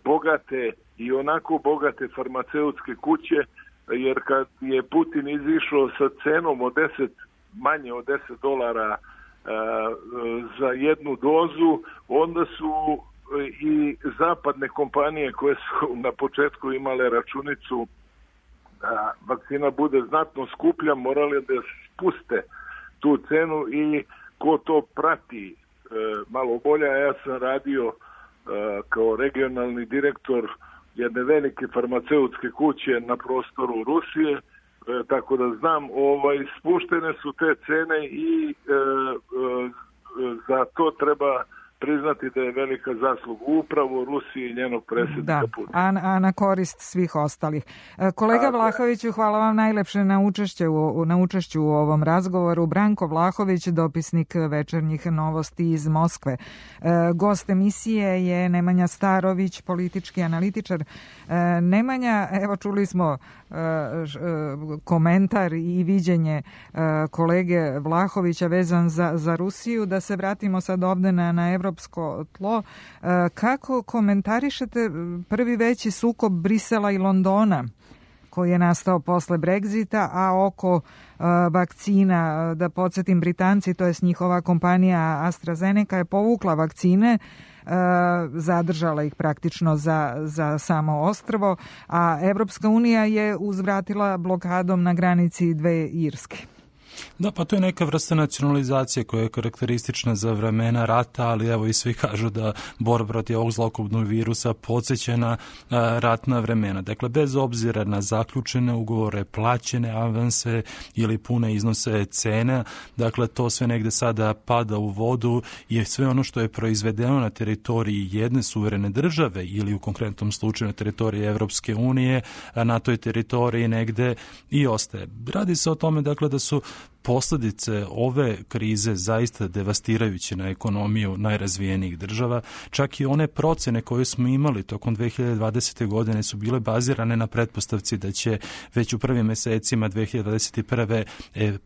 bogate i onako bogate farmaceutske kuće, jer kad je Putin izišao sa cenom od manje od $10 za jednu dozu, onda su i zapadne kompanije koje su na početku imale računicu da vakcina bude znatno skuplja, morali da spuste tu cenu i ko to prati malo bolje. Ja sam radio kao regionalni direktor jedne velike farmaceutske kuće na prostoru Rusije, tako da znam, spuštene su te cene i za to treba priznati da je velika zasluga upravo Rusije i njenog predsjednika Putina. A na korist svih ostalih. Kolega Vlahoviću, hvala vam najlepše na učešću u ovom razgovoru. Branko Vlahović, dopisnik Večernjih novosti iz Moskve. Gost emisije je Nemanja Starović, politički analitičar. Nemanja, evo čuli smo komentar i viđenje kolege Vlahovića vezan za Rusiju. Da se vratimo sad ovde na evropsko tlo. Kako komentarišete prvi veći sukob Brisela i Londona koji je nastao posle Brexita, a oko vakcina, da podsjetim, Britanci, to je njihova kompanija AstraZeneca, je povukla vakcine, zadržala ih praktično za samo ostrvo, a Evropska unija je uzvratila blokadom na granici 2 Irske. Da, pa to je neka vrsta nacionalizacije koja je karakteristična za vremena rata, ali evo i svi kažu da borba protiv ovog zlokobnog virusa podsjeća na ratna vremena. Dakle, bez obzira na zaključene ugovore, plaćene avanse ili pune iznose cena, dakle, to sve negde sada pada u vodu i sve ono što je proizvedeno na teritoriji jedne suverene države ili u konkretnom slučaju na teritoriji Evropske unije, na toj teritoriji negde i ostaje. Radi se o tome, dakle, da su posljedice ove krize zaista devastirajuće na ekonomiju najrazvijenijih država. Čak i one procene koje smo imali tokom 2020. godine su bile bazirane na pretpostavci da će već u prvim mjesecima 2021.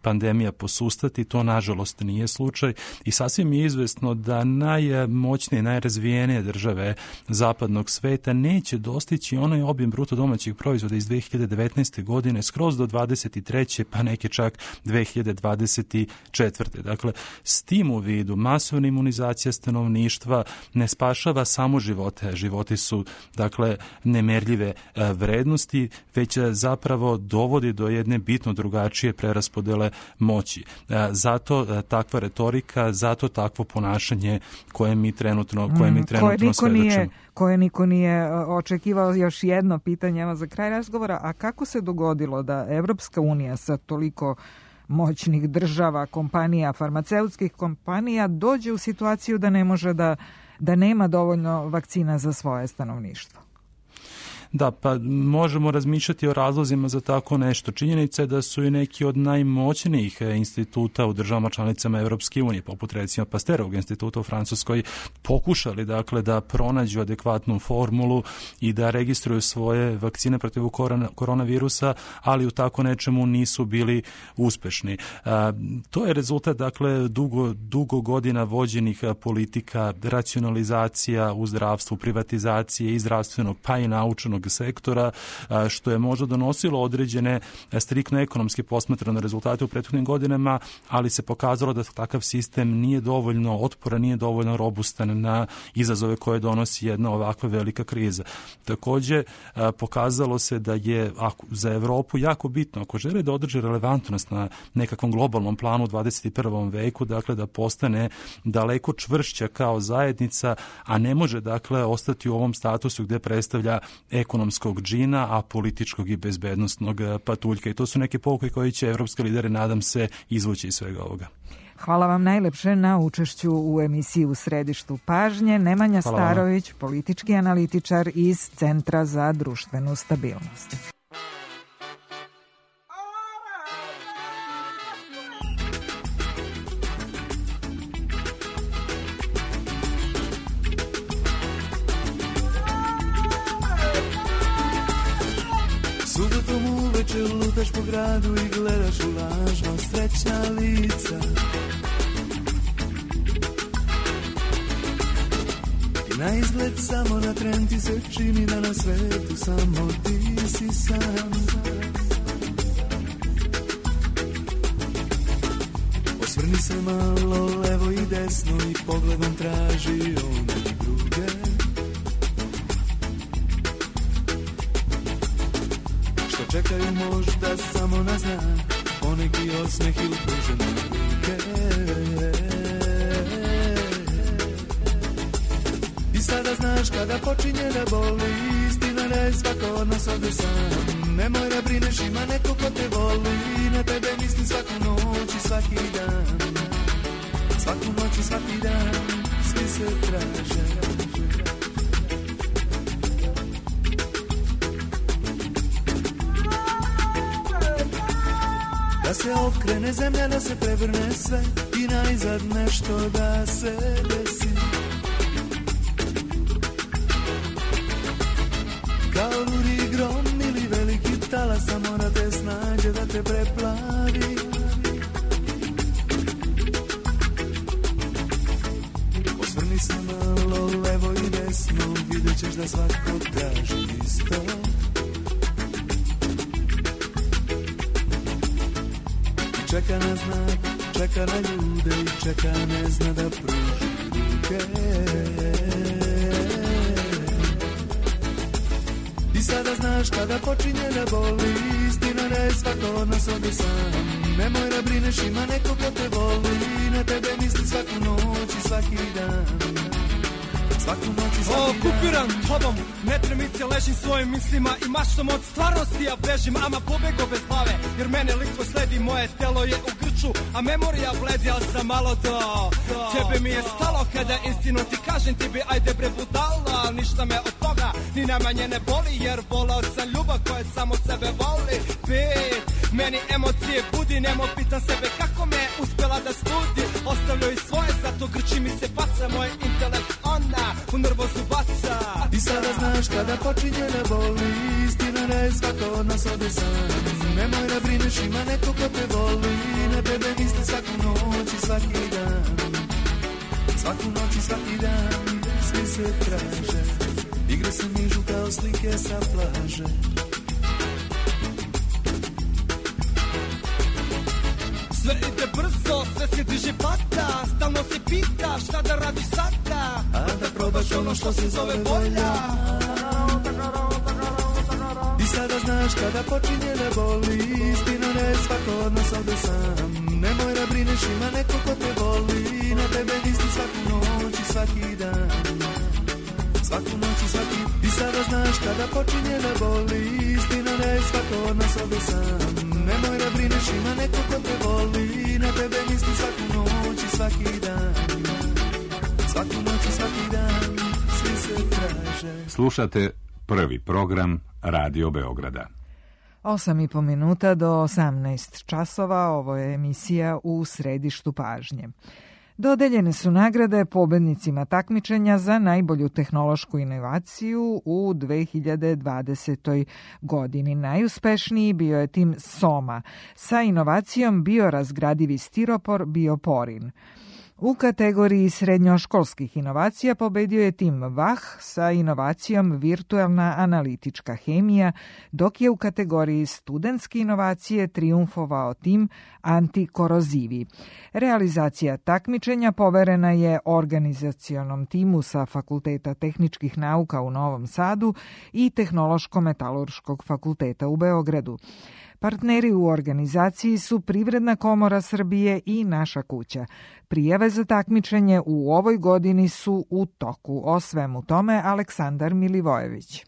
pandemija posustati. To nažalost nije slučaj i sasvim je izvesno da najmoćnije, najrazvijenije države zapadnog sveta neće dostići onaj obim bruto domaćih proizvoda iz 2019. godine skroz do 23. pa neke čak 2024. Dakle, s tim u vidu masovna imunizacija stanovništva ne spašava samo živote. Životi su, dakle, nemerljive vrednosti, već zapravo dovodi do jedne bitno drugačije preraspodele moći. Zato takva retorika, zato takvo ponašanje koje mi trenutno svedočimo. Koje niko nije očekivao. Još jedno pitanje evo za kraj razgovora, a kako se dogodilo da Evropska unija sa toliko moćnih država, kompanija, farmaceutskih kompanija dođe u situaciju da ne može da nema dovoljno vakcina za svoje stanovništvo? Da, pa možemo razmišljati o razlozima za tako nešto. Činjenica je da su i neki od najmoćnijih instituta u državama članicama Evropske unije, poput recimo Pasterovog instituta u Francuskoj, pokušali dakle da pronađu adekvatnu formulu i da registruju svoje vakcine protiv koronavirusa, ali u tako nečemu nisu bili uspešni. To je rezultat dakle dugo godina vođenih politika, racionalizacija u zdravstvu, privatizacije i zdravstvenog pa i naučnog sektora, što je možda donosilo određene striktno ekonomski posmatrane rezultate u prethodnim godinama, ali se pokazalo da takav sistem nije dovoljno otporan, nije dovoljno robustan na izazove koje donosi jedna ovakva velika kriza. Također, pokazalo se da je za Evropu jako bitno, ako žele da održi relevantnost na nekakvom globalnom planu u 21. veku, dakle da postane daleko čvršća kao zajednica, a ne može dakle ostati u ovom statusu gdje predstavlja ekonomskog džina, a političkog i bezbednostnog patuljka. I to su neke pouke koje će evropski lideri, nadam se, izvući iz svega ovoga. Hvala vam najlepše na učešću u emisiji U središtu pažnje. Nemanja Starović, politički analitičar iz Centra za društvenu stabilnost. Subotom uveče lutaš po gradu i gledaš u lažno srećna lica. I na izgled samo na tren ti se čini da na svetu samo ti si sam. Osvrni se malo levo i desno i pogledom traži one druge. Čekaju možda samo na znak, poneki osmeh ili pružene ruke. I sada znaš kada počinje da boli, istina da je svako od nas ovdje sam. Nemoj da brineš, ima neko ko te voli, na tebe misli svaku noć i svaki dan. Svaku noć i svaki dan, svi se traže. Da se okrene zemlja, da se prevrne sve i najzad nešto da se desi. Kao ludi grom ili veliki talas, samo da te snađe, da te preplavi. Osvrni se malo levo i desno, vidjet ćeš da svako traži isto. Čeka na znak, čeka na ljude i čeka ne zna da pruži ruke. I sada znaš kada počinje da boli, istina da je svako od nas ovdje sam. Nemoj da brineš, ima neko ko te voli, na tebe misli svaku noć i svaki dan. Svaku noć noći svaki dan. Okupiran tobom, netremice ležim svojim mislima i maštom od stvarnosti ja bežim, ama pobego bez glave, jer mene lik sledi, moje telo je u grču, a memorija bledi, al sam malo do tebe mi je stalo kada istinu ti kažem, ti bi ajde bre budala, ništa me od toga ni najmanje ne boli, jer volao sam ljubav koja samo sebe voli. Meni emocije budi, nemo pitam sebe kako me uspjela da studi, ostavljaju i svoje, zato grči mi se baca, moj intelekt ona u nervozu baca. I sada znaš kada počinje da boli, istina da je svako od nas ode sam. Nemoj da brineš, ima neko ko te voli, na tebe misli svaku noć i svaki dan. Svaku noć i svaki dan, svi se traže, igre se nižu kao slike sa plaže. Sve ide brzo, sve se diže pata, stalno se pita šta da radiš sada, a da probaš ono što se zove volja. I sada znaš kada počinje da boli, istina da je svako od nas ovde sam. Nemoj da brineš, ima neko ko te voli, na tebe misli svaku noć i svaki dan. Svaku noć i svaki. I sada znaš kada počinje da boli, istina da je svako od nas ovde sam. Nemoj da brineš, ima neko ko te voli, na tebe misli svaku noć i svaki dan. Svaku noć i svaki dan, svi se traže. Slušate prvi program Radio Beograda. 8,5 minuta do 18 časova, ovo je emisija U središtu pažnje. Dodeljene su nagrade pobednicima takmičenja za najbolju tehnološku inovaciju u 2020. godini. Najuspešniji bio je tim Soma sa inovacijom biorazgradivi stiropor Bioporin. U kategoriji srednjoškolskih inovacija pobedio je tim VAH sa inovacijom virtualna analitička hemija, dok je u kategoriji studentske inovacije triumfovao tim antikorozivi. Realizacija takmičenja poverena je organizacionom timu sa Fakulteta tehničkih nauka u Novom Sadu i Tehnološko-metalurškog fakulteta u Beogradu. Partneri u organizaciji su Privredna komora Srbije i Naša kuća. Prijave za takmičenje u ovoj godini su u toku. O svemu tome Aleksandar Milivojević.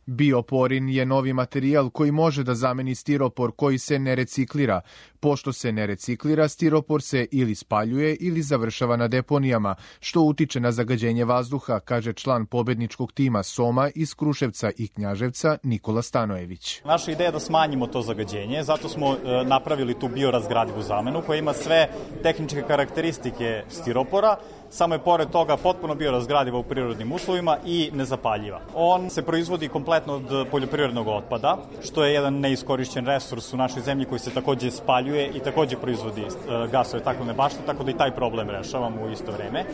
Bioporin je novi materijal koji može da zameni stiropor koji se ne reciklira. Pošto se ne reciklira, stiropor se ili spaljuje ili završava na deponijama, što utiče na zagađenje vazduha, kaže član pobedničkog tima Soma iz Kruševca i Knjaževca Nikola Stanojević. Naša ideja je da smanjimo to zagađenje, zato smo napravili tu biorazgradivu zamenu koja ima sve tehničke karakteristike stiropora, samo je pored toga potpuno biorazgradiva u prirodnim uslovima i nezapaljiva. On se proizvodi kompletno od poljoprivrednog otpada, što je jedan neiskorišćen resurs u našoj zemlji koji se takođe spaljuje i takođe proizvodi gasove staklene bašte, tako da i taj problem rešavamo u isto vreme.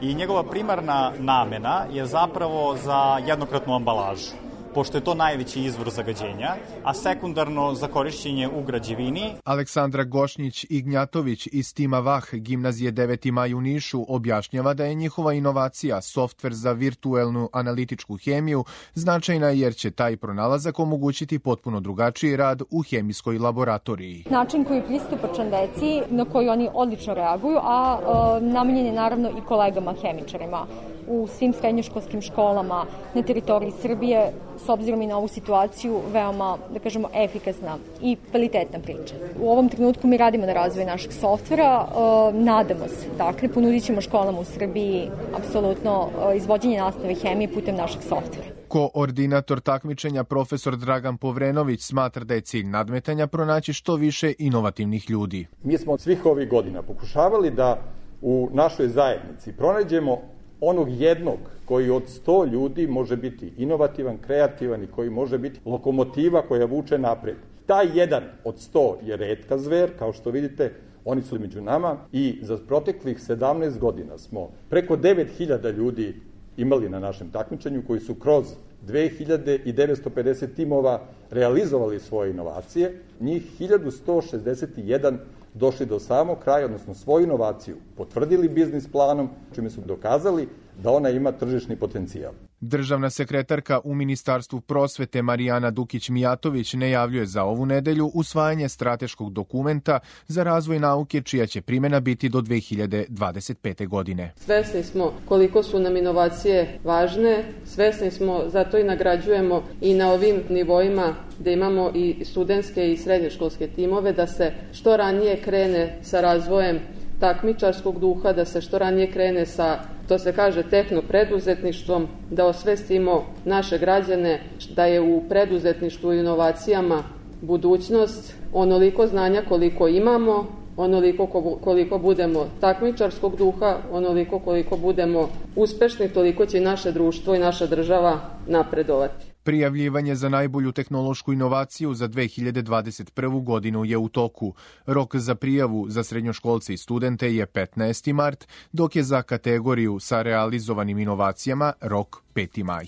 I njegova primarna namena je zapravo za jednokratnu ambalažu, pošto je to najveći izvor zagađenja, a sekundarno za korišćenje u građevini. Aleksandra Gošnjić-Ignjatović iz tima VAH gimnazije 9. maj u Nišu objašnjava da je njihova inovacija, softver za virtuelnu analitičku hemiju, značajna jer će taj pronalazak omogućiti potpuno drugačiji rad u hemijskoj laboratoriji. Način koji je pristupačan deci, na koji oni odlično reaguju, a namenjen je naravno i kolegama hemičarima u svim srednjoškolskim školama na teritoriji Srbije, s obzirom i na ovu situaciju, veoma, da kažemo, efikasna i kvalitetna priča. U ovom trenutku mi radimo na razvoju našeg softvera, nadamo se, dakle, ponudit ćemo školama u Srbiji apsolutno izvođenje nastave hemije putem našeg softvera. Koordinator takmičenja profesor Dragan Povrenović smatra da je cilj nadmetanja pronaći što više inovativnih ljudi. Mi smo svih ovih godina pokušavali da u našoj zajednici pronađemo onog jednog koji od 100 ljudi može biti inovativan, kreativan i koji može biti lokomotiva koja vuče napred. Taj jedan od 100 je retka zver, kao što vidite, oni su među nama i za proteklih 17 godina smo preko 9000 ljudi imali na našem takmičenju koji su kroz 2950 timova realizovali svoje inovacije, njih 1161 došli do samog kraja, odnosno svoju inovaciju potvrdili biznis planom, čime su dokazali da ona ima tržišni potencijal. Državna sekretarka u Ministarstvu prosvete Marijana Dukić-Mijatović najavljuje za ovu nedelju usvajanje strateškog dokumenta za razvoj nauke čija će primjena biti do 2025. godine. Svesni smo koliko su nam inovacije važne, svesni smo, zato i nagrađujemo i na ovim nivoima da imamo i studentske i srednjoškolske timove, da se što ranije krene sa razvojem takmičarskog duha, da se što ranije krene sa, to se kaže, tehnopreduzetništvom, da osvestimo naše građane da je u preduzetništvu i inovacijama budućnost. Onoliko znanja koliko imamo, onoliko koliko budemo takmičarskog duha, onoliko koliko budemo uspešni, toliko će naše društvo i naša država napredovati. Prijavljivanje za najbolju tehnološku inovaciju za 2021. godinu je u toku. Rok za prijavu za srednjoškolce i studente je 15. mart, dok je za kategoriju sa realizovanim inovacijama rok 5. maj.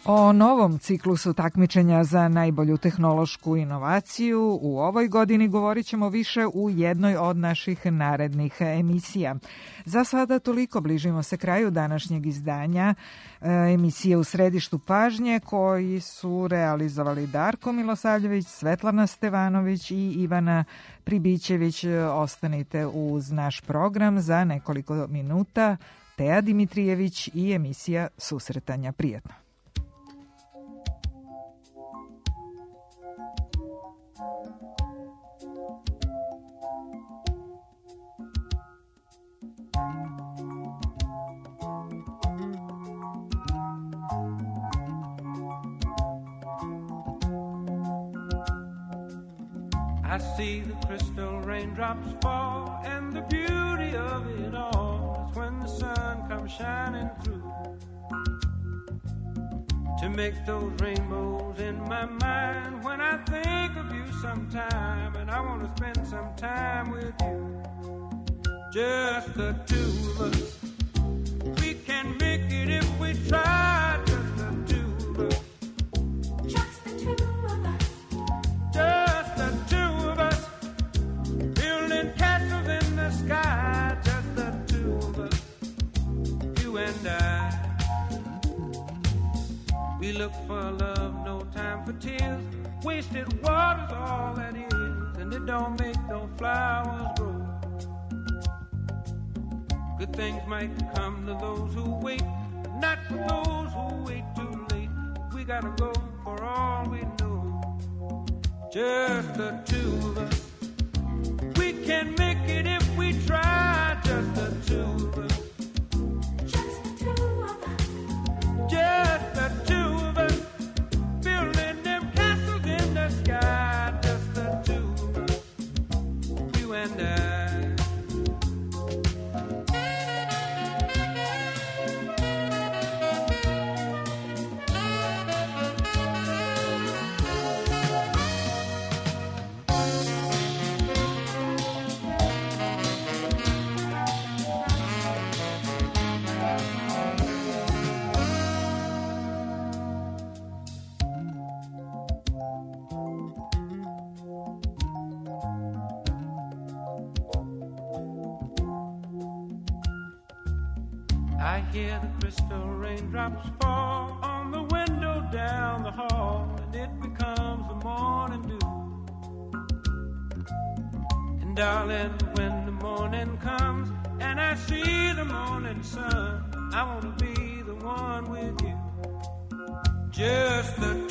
O novom ciklusu takmičenja za najbolju tehnološku inovaciju u ovoj godini govorit ćemo više u jednoj od naših narednih emisija. Za sada toliko, bližimo se kraju današnjeg izdanja emisije U središtu pažnje koji su realizovali Darko Milosavljević, Svetlana Stevanović i Ivana Pribićević. Ostanite uz naš program za nekoliko minuta. Teja Dimitrijević i emisija Susretanja. Prijetno. I see the crystal raindrops fall, and the beauty of it all is when the sun comes shining through to make those rainbows in my mind. When I think of you sometime, and I want to spend some time with you, just the two of us. We can make it if we try, just the two of us. Just the two of us. Just the two of us. Building castles in the sky, just the two of us. You and I. We look for love, no time for tears. Wasted water's all that is, and it don't make no flowers grow. Good things might come to those who wait, but not for those who wait too late. We gotta go for all we know. Just the two of us. We can make it if we try. Just the two of us. Just the two of us. Just the two of us. Building them castles in the sky. Just the two of us. You and I. I hear the crystal raindrops fall on the window down the hall, and it becomes the morning dew. And darling, when the morning comes and I see the morning sun, I want to be the one with you. Just the